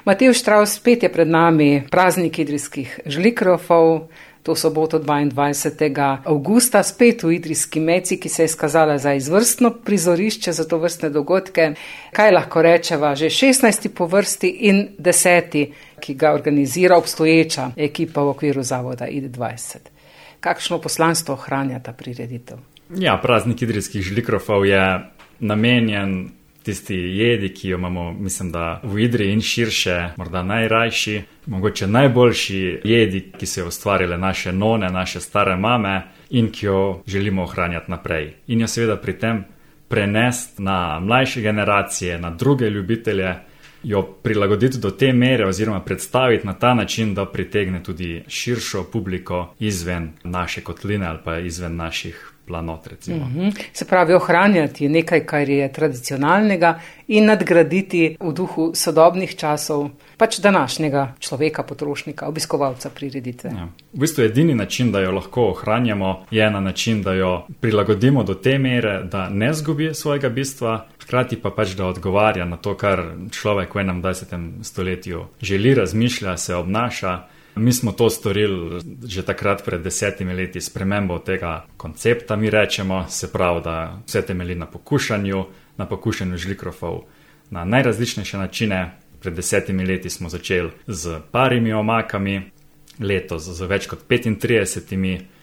Matevž Štravs, spet je pred nami praznik idrijskih žlikrofov, to soboto 22. avgusta, spet v Idrijski Meci, ki se je izkazala za izvrstno prizorišče za to vrstne dogodke. Kaj lahko rečeva, že 16. po vrsti in 10., ki ga organizira obstoječa ekipa v okviru zavoda ID20. Kakšno poslanstvo ohranja ta prireditev? Ja, praznik idrijskih žlikrofov je namenjen tisti jedi, ki jo imamo, mislim, da v Idriji in širše, morda najrajši, mogoče najboljši jedi, ki so jo ustvarile naše none, naše stare mame in ki jo želimo ohranjati naprej. In jo seveda pri tem prenesti na mlajše generacije, na druge ljubitelje, jo prilagoditi do te mere oziroma predstaviti na ta način, da pritegne tudi širšo publiko izven naše kotline ali pa izven naših planot, recimo. Se pravi, ohranjati nekaj, kar je tradicionalnega in nadgraditi v duhu sodobnih časov, pač današnjega človeka, potrošnika, obiskovalca prireditve. Ja. V bistvu edini način, da jo lahko ohranjamo, je na način, da jo prilagodimo do te mere, da ne zgubi svojega bistva, hkrati pa pač, da odgovarja na to, kar človek v 21. stoletju želi, razmišlja, se obnaša. Mi smo to storili že takrat pred 10 leti s spremembo tega koncepta, mi rečemo, se pravi, da vse temelji na pokušanju žlikrofov na najrazličnejše načine. Pred 10 leti smo začeli z parimi omakami, letos z več kot 35,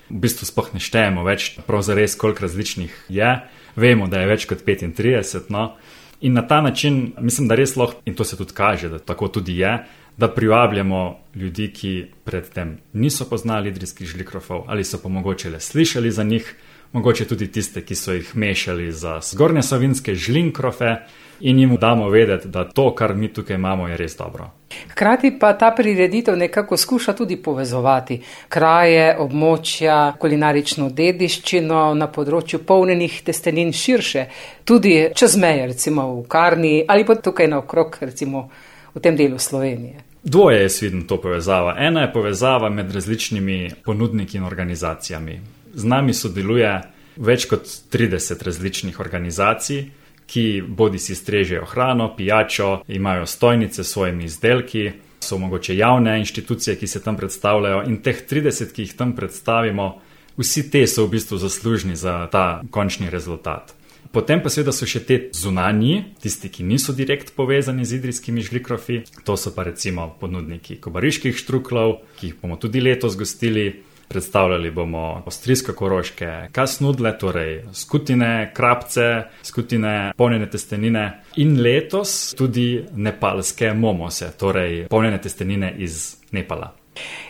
v bistvu sploh ne štejemo več, prav zares koliko različnih je, vemo, da je več kot 35, no. In na ta način, mislim, da res lahko, in to se tudi kaže, da tako tudi je, da privabljamo ljudi, ki predtem niso poznali idrijskih žlikrofov ali so pa mogoče le slišali za njih, mogoče tudi tiste, ki so jih mešali za zgornje savinjske žlinkrofe in jim damo vedeti, da to, kar mi tukaj imamo, je res dobro. Hkrati pa ta prireditev nekako skuša tudi povezovati kraje, območja, kulinarično dediščino na področju polnjenih testenin širše, tudi čez meje, recimo v Karni ali pa tukaj naokrog, recimo v tem delu Slovenije. Dvoje je vidim to povezava. Ena je povezava med različnimi ponudniki in organizacijami. Z nami sodeluje več kot 30 različnih organizacij, ki bodi si strežejo hrano, pijačo, imajo stojnice s svojimi izdelki, so mogoče javne inštitucije, ki se tam predstavljajo, in teh 30, ki jih tam predstavimo, vsi te so v bistvu zaslužni za ta končni rezultat. Potem pa seveda so še te zunanji, tisti, ki niso direkt povezani z idrijskimi žlikrofi, to so pa recimo ponudniki kobariških štruklov, ki jih bomo tudi letos gostili. Predstavljali bomo avstrijsko-koroške kasnudle, torej skutine, krapce, skutine, polnjene testenine in letos tudi nepalske momose, torej polnjene testenine iz Nepala.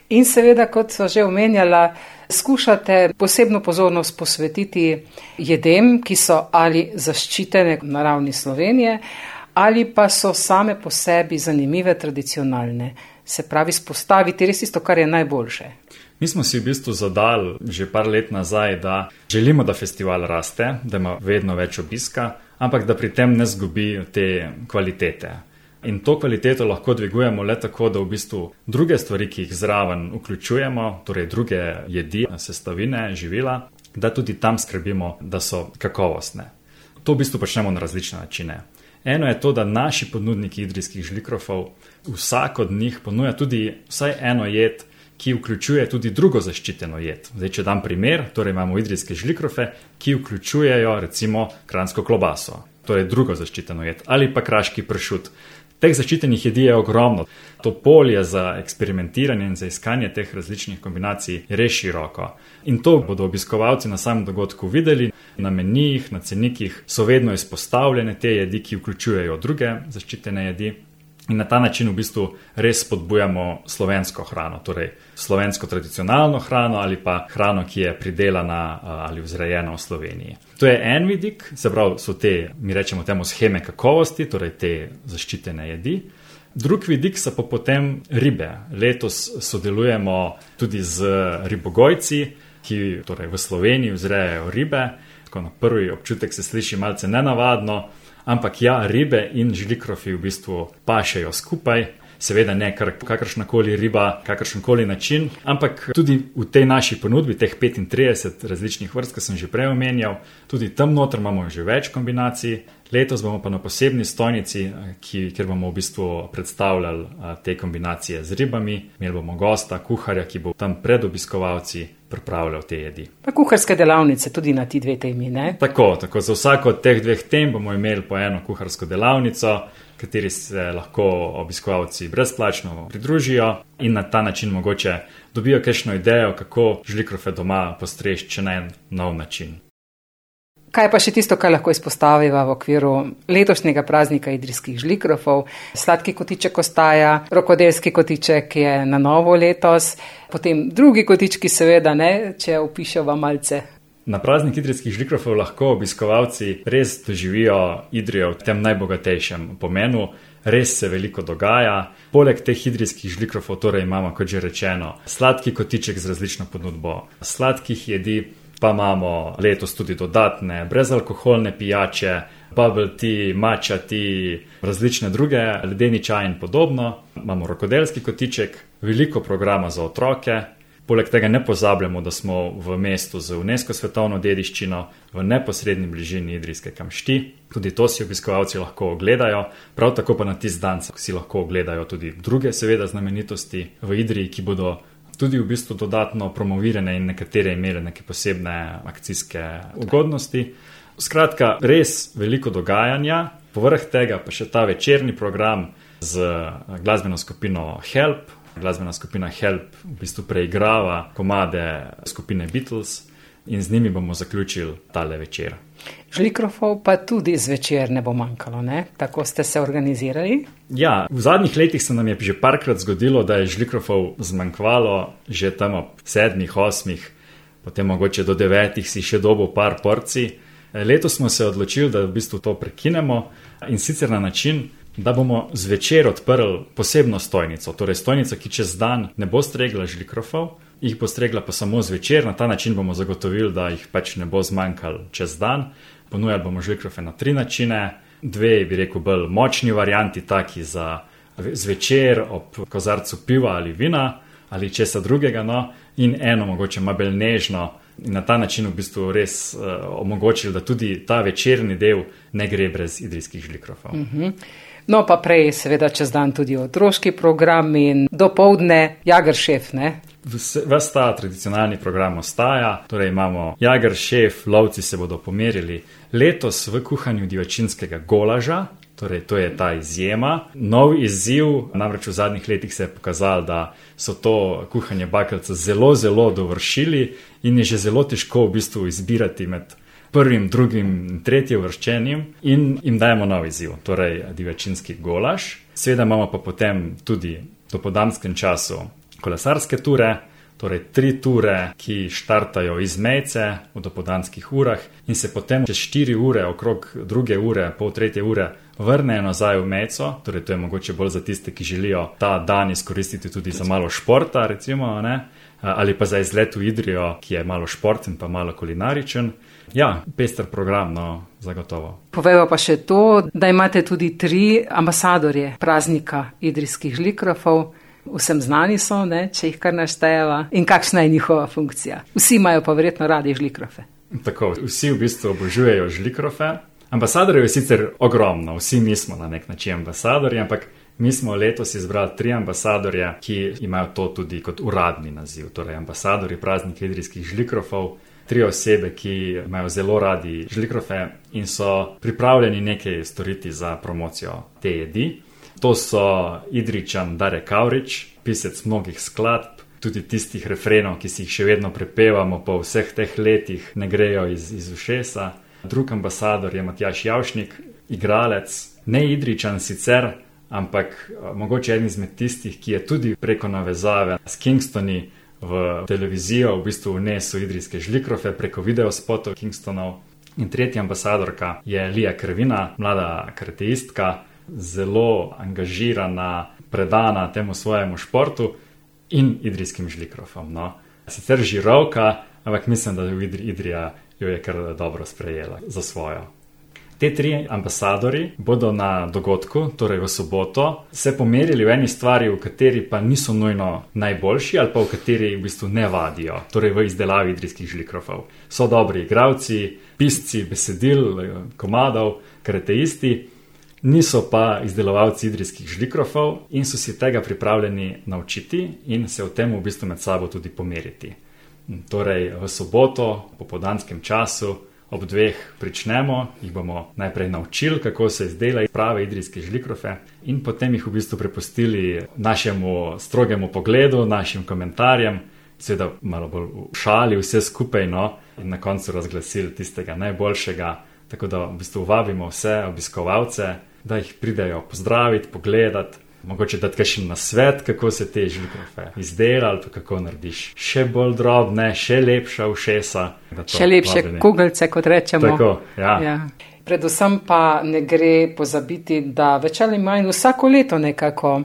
In seveda, kot so že omenjala, skušate posebno pozornost posvetiti jedem, ki so ali zaščitene na ravni Slovenije, ali pa so same po sebi zanimive, tradicionalne. Se pravi, spostaviti res isto, kar je najboljše. Mi smo si v bistvu zadali že par let nazaj, da želimo, da festival raste, da ima vedno več obiska, ampak da pri tem ne zgubi te kvalitete. In to kvaliteto lahko dvigujemo le tako, da v bistvu druge stvari, ki jih zraven vključujemo, torej druge jedi, sestavine, živila, da tudi tam skrbimo, da so kakovostne. To v bistvu počnemo na različne načine. Eno je to, da naši ponudniki idrijskih žlikrofov, vsak od njih ponuja tudi vsaj eno jed, ki vključuje tudi drugo zaščiteno jed. Zdaj, če dam primer, torej imamo idrijske žlikrofe, ki vključujejo recimo kranjsko klobaso, torej drugo zaščiteno jed, ali pa kraški pršut. Teh zaščitenih jedi je ogromno. To polje za eksperimentiranje in za iskanje teh različnih kombinacij je res široko. In to bodo obiskovalci na samem dogodku videli. Na menijih, na cenikih so vedno izpostavljene te jedi, ki vključujejo druge zaščitene jedi. In na ta način v bistvu res spodbujamo slovensko hrano, torej slovensko tradicionalno hrano ali pa hrano, ki je pridelana ali vzrejena v Sloveniji. To je en vidik, se pravi, so te, mi rečemo temu, sheme kakovosti, torej te zaščitene jedi. Drug vidik so pa potem ribe. Letos sodelujemo tudi z ribogojci, ki torej v Sloveniji vzrejajo ribe. Tako na prvi občutek se sliši malce nenavadno, ampak ja, ribe in žlikrofi v bistvu pašejo skupaj, seveda ne kakršnakoli riba, kakršenkoli način, ampak tudi v tej naši ponudbi, teh 35 različnih vrst, ki sem že prej omenjal, tudi tam noter imamo že več kombinacij, Letos bomo pa na posebni stojnici, kjer bomo v bistvu predstavljali te kombinacije z ribami. Imeli bomo gosta, kuharja, ki bo tam pred obiskovalci pripravljal te jedi. Pa kuharske delavnice tudi na ti dve temi, ne? Tako, za vsako od teh dveh tem bomo imeli po eno kuharsko delavnico, kateri se lahko obiskovalci brezplačno pridružijo in na ta način mogoče dobijo kakšno idejo, kako žlikrofe doma postreči, če na en nov način. Kaj pa še tisto, kar lahko izpostaviva v okviru letošnjega praznika idrijskih žlikrofov? Sladki kotiček ostaja, rokodelski kotiček je na novo letos, potem drugi kotički seveda ne, če opiševa malce. Na praznik idrijskih žlikrofov lahko obiskovalci res doživijo Idrijo v tem najbogatejšem pomenu. Res se veliko dogaja. Poleg teh idrijskih žlikrofov torej imamo, kot že rečeno, sladki kotiček z različno ponudbo sladkih jedi, pa imamo letos tudi dodatne brezalkoholne pijače, bubble tea, matcha tea, različne druge, ledeni čaj in podobno. Imamo rokodelski kotiček, veliko programa za otroke. Poleg tega ne pozabljamo, da smo v mestu z UNESCO svetovno dediščino v neposredni bližini idrijske kamšti. Tudi to si obiskovalci lahko ogledajo, prav tako pa na tisti dan si lahko ogledajo tudi druge seveda znamenitosti v Idriji, ki bodo tudi v bistvu dodatno promovirane in nekatere imele neke posebne akcijske ugodnosti. Skratka, res veliko dogajanja, povrh tega pa še ta večerni program z glasbeno skupino Help. Glasbena skupina Help v bistvu preigrava komade skupine Beatles in z njimi bomo zaključili tale večer. Žlikrofov pa tudi zvečer ne bo manjkalo, ne? Tako ste se organizirali? Ja, v zadnjih letih se nam je že parkrat zgodilo, da je žlikrofov zmanjkvalo, že tam ob 7, 8, potem mogoče do 9 si še dobil par porcij. Letos smo se odločili, da v bistvu to prekinemo in sicer na način, da bomo zvečer odprli posebno stojnico, torej stojnico, ki čez dan ne bo stregla žlikrofov, jih bo stregla pa samo zvečer. Na ta način bomo zagotovili, da jih pač ne bo zmanjkalo čez dan. Ponujali bomo žlikrofe na 3 načine, 2, bi rekel, bolj močni varianti, taki za zvečer ob kozarcu piva ali vina ali česa drugega, no, in eno mogoče malo bolj nežno in na ta način v bistvu res omogočili, da tudi ta večerni del ne gre brez idrijskih žlikrofov. No, pa prej seveda čez dan tudi otroški program in dopoldne Jageršef, ne? Ves ta tradicionalni program ostaja, torej imamo Jageršef, lovci se bodo pomerili letos v kuhanju divačinskega golaža, torej to je ta izjema. Nov izziv, namreč v zadnjih letih se je pokazalo, da so to kuhanje bakelca zelo, zelo dovršili in je že zelo težko v bistvu izbirati med prvim, drugim, tretjim vrščenim in jim dajemo nov izziv, torej divačinski golaž. Seveda imamo pa potem tudi v dopoldanskem času kolesarske ture, torej 3 ture, ki štartajo iz Mejce v dopoldanskih urah in se potem čez 4 ure, okrog 2 ure, pol 3 ure, vrnejo nazaj v Mejco, torej to je mogoče bolj za tiste, ki želijo ta dan izkoristiti tudi za malo športa, recimo, ne? Ali pa za izlet v Idrijo, ki je malo športen pa malo kulinaričen. Ja, pester program, no, zagotovo. Povejva pa še to, da imate tudi 3 ambasadorje praznika idrijskih žlikrofov. Vsem znani so, ne, če jih kar naštejeva. In kakšna je njihova funkcija? Vsi imajo pa verjetno radi žlikrofe. Tako, vsi v bistvu obožujejo žlikrofe. Ambasadorjev je sicer ogromno, vsi mi smo na nek način ambasadorji, ampak mi smo letos izbrali 3 ambasadorje, ki imajo to tudi kot uradni naziv. Torej, ambasadorji praznika idrijskih žlikrofov, 3 osebe, ki imajo zelo radi žlikrofe in so pripravljeni nekaj storiti za promocijo te jedi. To so Idrijčan Dare Kavrič, pisec mnogih skladb, tudi tistih refrenov, ki si jih še vedno prepevamo po vseh teh letih, ne grejo iz ušesa. Drug ambasador je Matjaž Javšnik, igralec, ne Idrijčan sicer, ampak mogoče eden izmed tistih, ki je tudi preko navezave s Kingstoni v televizijo v bistvu vnesel idrijske žlikrofe preko videospotov Kingstonov. In tretja ambasadorka je Lija Krvina, mlada karateistka, zelo angažirana, predana temu svojemu športu in idrijskim žlikrofom. No. Sicer žirovka, ampak mislim, da Idrija jo je kar dobro sprejela za svojo. Te 3 ambasadori bodo na dogodku, torej v soboto, se pomerili v eni stvari, v kateri pa niso nujno najboljši ali pa v kateri v bistvu ne vadijo, torej v izdelavi idrijskih žlikrofov. So dobri igralci, pisci besedil, komadov, karateisti, niso pa izdelovalci idrijskih žlikrofov in so si tega pripravljeni naučiti in se v tem v bistvu med sabo tudi pomeriti. Torej v soboto, po popoldanskem času, ob 2 pričnemo, jih bomo najprej naučili, kako se izdela prave idrijske žlikrofe in potem jih v bistvu prepustili našemu strogemu pogledu, našim komentarjem, seveda malo bolj v šali vse skupaj, no, in na koncu razglasili tistega najboljšega, tako da v bistvu vabimo vse obiskovalce, da jih pridejo pozdraviti, pogledati, mogoče dati kakšen nasvet, kako se te žlikrofe izdela ali pa kako narediš še bolj drobne, še lepša ušesa. Še lepše kugelce, kot rečemo. Tako, ja. Predvsem pa ne gre pozabiti, da več ali manj vsako leto nekako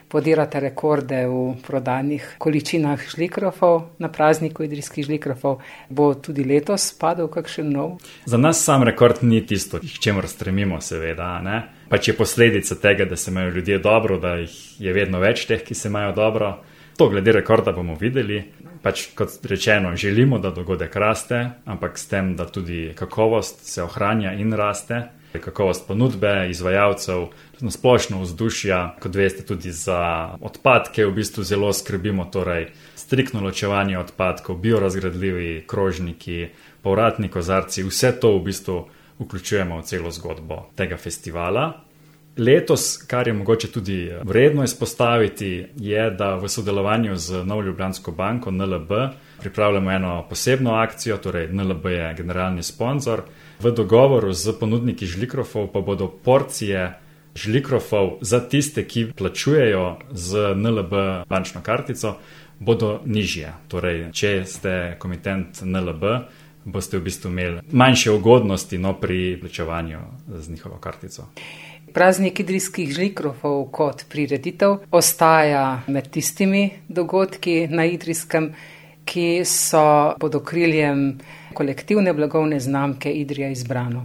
podirate rekorde v prodanih količinah žlikrofov na prazniku idrijskih žlikrofov. Bo tudi letos padel kakšen nov? Za nas sam rekord ni tisto, k čemur stremimo seveda, ne? Pač je posledica tega, da se imajo ljudje dobro, da jih je vedno več teh, ki se imajo dobro. To glede rekorda bomo videli. Pač kot rečeno, želimo, da dogodek raste, ampak s tem, da tudi kakovost se ohranja in raste. Kakovost ponudbe, izvajalcev, splošno vzdušja, kot veste, tudi za odpadke v bistvu zelo skrbimo, torej striktno ločevanje odpadkov, biorazgradljivi krožniki, povratni kozarci, vse to v bistvu vključujemo v celo zgodbo tega festivala. Letos, kar je mogoče tudi vredno izpostaviti, je, da v sodelovanju z Novo Ljubljansko banko NLB pripravljamo eno posebno akcijo, torej NLB je generalni sponzor. V dogovoru z ponudniki žlikrofov pa bodo porcije žlikrofov za tiste, ki plačujejo z NLB bančno kartico, bodo nižje. Torej, če ste komitent NLB, boste v bistvu imeli manjše ugodnosti pri plačevanju z njihovo kartico. Praznik idrijskih žlikrofov kot prireditev ostaja med tistimi dogodki na Idrijskem, ki so pod okriljem kolektivne blagovne znamke Idrija Izbrano.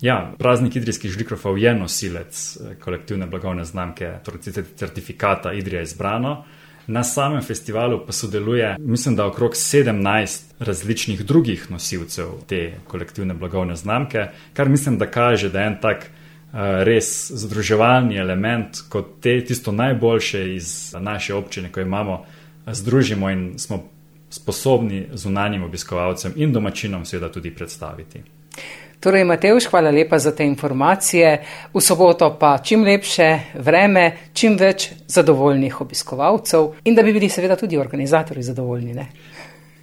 Ja, praznik idrijskih žlikrofov je nosilec kolektivne blagovne znamke, torej certifikata Idrija Izbrano. Na samem festivalu pa sodeluje, mislim, da okrog 17 različnih drugih nosilcev te kolektivne blagovne znamke, kar mislim, da kaže, da je en tak res združevalni element, kot tisto najboljše iz naše občine, ko imamo, združimo in smo sposobni zunanjim obiskovalcem in domačinom seveda tudi predstaviti. Torej, Matevž, hvala lepa za te informacije. V soboto pa čim lepše vreme, čim več zadovoljnih obiskovalcev in da bi bili seveda tudi organizatorji zadovoljni, ne?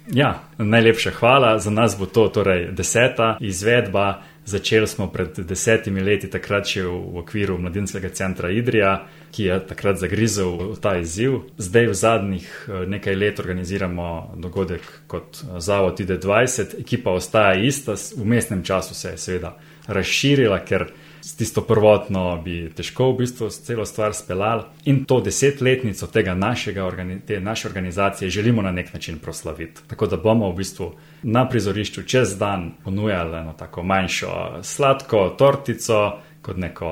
Ja, najlepša hvala. Za nas bo to torej 10. izvedba. Začeli smo pred 10 leti, takrat še v okviru Mladinskega centra Idrija, ki je takrat zagrizel v ta izziv. Zdaj v zadnjih nekaj let organiziramo dogodek kot zavod ID20. Ekipa ostaja ista, v vmesnem času se je seveda razširila, ker s tisto prvotno bi težko v bistvu celo stvar speljali. In to 10-letnico te naše organizacije želimo na nek način proslaviti. Tako da bomo v bistvu na prizorišču čez dan ponujali eno tako manjšo sladko tortico, kot neko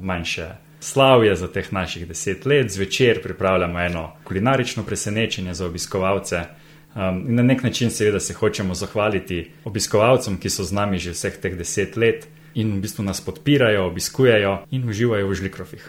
manjše slavje za teh naših 10 let. Zvečer pripravljamo eno kulinarično presenečenje za obiskovalce. In na nek način seveda se hočemo zahvaliti obiskovalcem, ki so z nami že vseh teh 10 let in v bistvu nas podpirajo, obiskujejo in uživajo v žlikrofih.